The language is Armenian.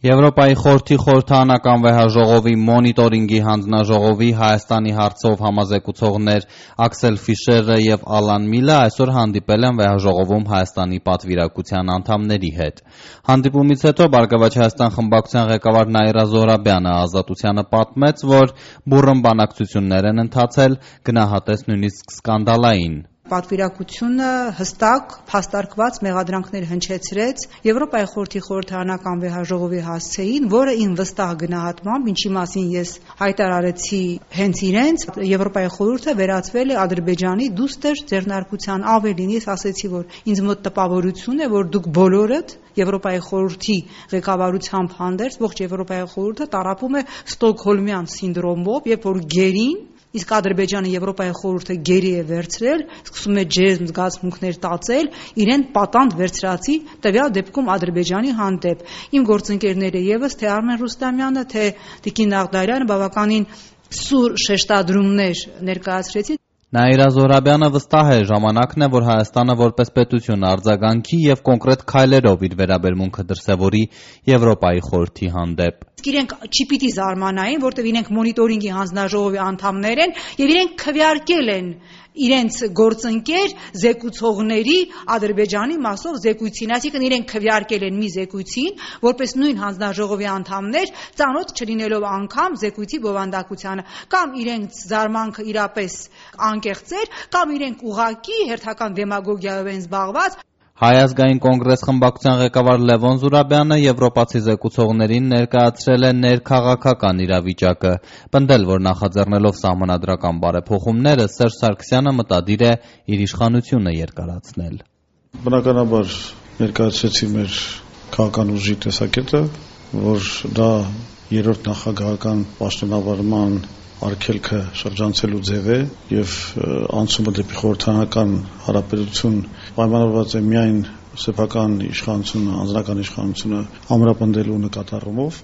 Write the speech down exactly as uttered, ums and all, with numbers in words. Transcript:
Եվրոպայի խորհրդի խորհրդարանական վեհաժողովի մոնիտորինգի հանձնաժողովի Հայաստանի հարցով համազեկուցողներ Աքսել Ֆիշերը և Ալան Միլը այսօր հանդիպել են վեհաժողովում Հայաստանի պատվիրակության անդամների հետ։ Հանդիպումից հետո Բարգավաճ Հայաստան խմբակցության ղեկավար Նաիրա Զոհրաբյանը Ազատությանը պատմեց, որ բուռն բանակցություններ են ընթացել, գնահատեց նույնիսկ սկանդալային։ Պատվիրակությունը հստակ, փաստարկված մեղադրանքներ հնչեցրեց Եվրոպայի խորհրդի խորհրդարանական վեհաժողովի հասցեին, որը իմ վստահ գնահատմամբ, ինչի մասին ես հայտարարեցի հենց իրենց, Եվրոպայի խորհուրդը վերածվել է Ադրբեջանի դուստր ձեռնարկության, ավելին ես ասեցի, որ ինձ մոտ տպավորություն է, որ դուք բոլորդ Եվրոպայի խորհրդի ղեկավարությամբ հանդերձ ողջ Եվրոպայի խորհուրդը տառապում է Ստոկհոլմյան սինդրոմով, երբ որ գերին իսկ Ադրբեջանը Եվրոպայի խորհուրդը գերի է վերցրել, սկսում է ջերմ զգացմունքներ տածել, իրեն պատանդ վերցրածի տվյալ դեպքում Ադրբեջանի հանդեպ։ Իմ գործընկերները ևս թե Արմեն Ռուստամյանը, թե Տիկին Աղդարյանը բավականին սուր շեշտադրումներ ներկայացրեցին։ Նաիրա Զոհրաբյանը վստահ է, ժամանակն է, որ Հայաստանը որպես պետություն արձագանքի եւ կոնկրետ քայլերով իր վերաբերմունքը դրսեւորի Եվրոպայի խորհրդի հանդեպ։ Իրենք չպիտի զարմանային, որտեղ իրենք մոնիտորինգի հանձնաժողովի անդամներ են եւ իրենք քվեարկել են իրենց գործընկեր զեկուցողների Ադրբեջանի մասով զեկույցին, այսինքն իրենք քվեարկել են մի զեկույցին, որպես նույն հանձնաժողովի անդամներ, ծանոթ չլինելով անգամ զեկույցի բովանդակությանը, կամ իրենց զարմանքը իրապես անկեղծ էր, կամ իրենք ուղղակի հերթական դեմագոգիայով են զբաղված։ Հայ ազգային կոնգրես խմբակցության ղեկավար Լևոն Զուրաբյանը եվրոպացի զեկուցողներին ներկայացրել է ներքաղաքական իրավիճակը, պնդել, որ նախաձեռնելով սահմանադրական բարեփոխումները Սերժ Սարգսյանը մտադիր է իր իշխանությունը երկարացնել։ Բնականաբար ներկայացրեցի մեր քաղաքական ուժի տեսակետը, որ դա երրորդ նախագահական պաշտոնավարման արգելքը շրջանցելու ձև է եւ անցումը դեպի խորհրդարանական հարաբերություն պայմանավորված է միայն սեփական իշխանությունը, անձնական իշխանությունը ամրապնդելու նկատառումով։